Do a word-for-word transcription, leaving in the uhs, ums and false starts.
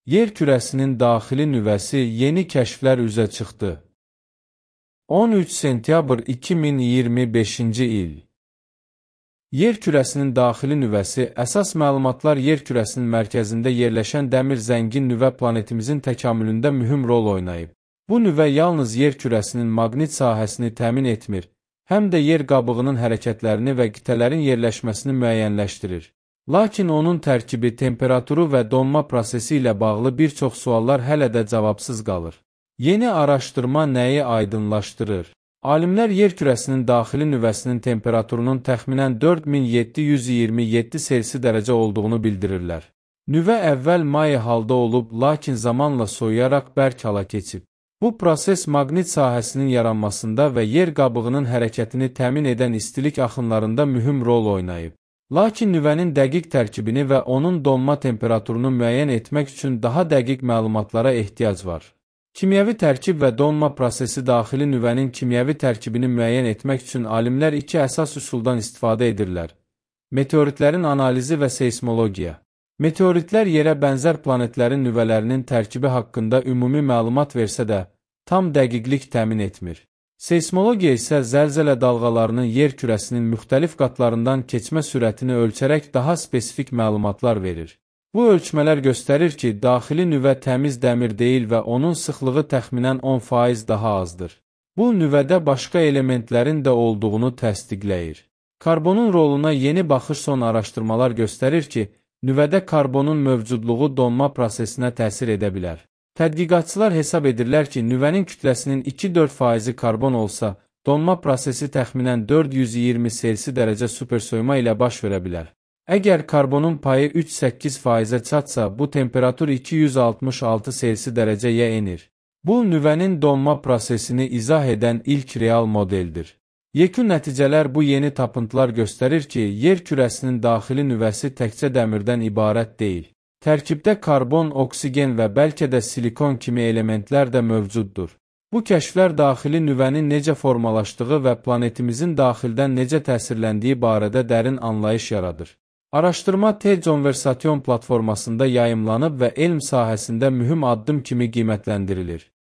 Yer kürəsinin daxili nüvəsi yeni kəşflər üzə çıxdı. on üç sentyabr iki min iyirmi beşinci il. Yer kürəsinin daxili nüvəsi əsas məlumatlar yer kürəsinin mərkəzində yerləşən dəmir zəngin nüvə planetimizin təkamülündə mühüm rol oynayıb. Bu nüvə yalnız yer kürəsinin maqnit sahəsini təmin etmir, həm də yer qabığının hərəkətlərini və qitələrin yerləşməsini müəyyənləşdirir. Lakin onun tərkibi, temperaturu və donma prosesi ilə bağlı bir çox suallar hələ də cavabsız qalır. Yeni araşdırma nəyi aydınlaşdırır? Alimlər yer kürəsinin daxili nüvəsinin temperaturunun təxminən dörd min yeddi yüz iyirmi yeddi Selsi dərəcə olduğunu bildirirlər. Nüvə əvvəl maye halda olub, lakin zamanla soyuyaraq bərk hala keçib. Bu proses maqnit sahəsinin yaranmasında və yer qabığının hərəkətini təmin edən istilik axınlarında mühüm rol oynayıb. Lakin nüvənin dəqiq tərkibini və onun donma temperaturunu müəyyən etmək üçün daha dəqiq məlumatlara ehtiyac var. Kimyəvi tərkib və donma prosesi daxili nüvənin kimyəvi tərkibini müəyyən etmək üçün alimlər iki əsas üsuldan istifadə edirlər: meteoritlərin analizi və seysmologiya. Meteoritlər yerə bənzər planetlərin nüvələrinin tərkibi haqqında ümumi məlumat versə də, tam dəqiqlik təmin etmir. Seysmologiya isə zəlzələ dalğalarının yer kürəsinin müxtəlif qatlarından keçmə sürətini ölçərək daha spesifik məlumatlar verir. Bu ölçmələr göstərir ki, daxili nüvə təmiz dəmir deyil və onun sıxlığı təxminən on faiz daha azdır. Bu, nüvədə başqa elementlərin də olduğunu təsdiqləyir. Karbonun roluna yeni baxış son araşdırmalar göstərir ki, nüvədə karbonun mövcudluğu donma prosesinə təsir edə bilər. Tədqiqatçılar hesab edirlər ki, nüvənin kütləsinin iki-dörd faizi karbon olsa, donma prosesi təxminən dörd yüz iyirmi Selsi dərəcə supersoyuma ilə baş verə bilər. Əgər karbonun payı üç-səkkiz faizə çatsa, bu temperatur iki yüz altmış altı Selsi dərəcəyə enir. Bu, nüvənin donma prosesini izah edən ilk real modeldir. Yekun nəticələr bu yeni tapıntılar göstərir ki, yer kürəsinin daxili nüvəsi təkcə dəmirdən ibarət deyil. Tərkibdə karbon, oksigen və bəlkə də silikon kimi elementlər də mövcuddur. Bu kəşflər daxili nüvənin necə formalaşdığı və planetimizin daxildən necə təsirləndiyi barədə dərin anlayış yaradır. Araşdırma T-Conversation platformasında yayımlanıb və elm sahəsində mühüm addım kimi qiymətləndirilir.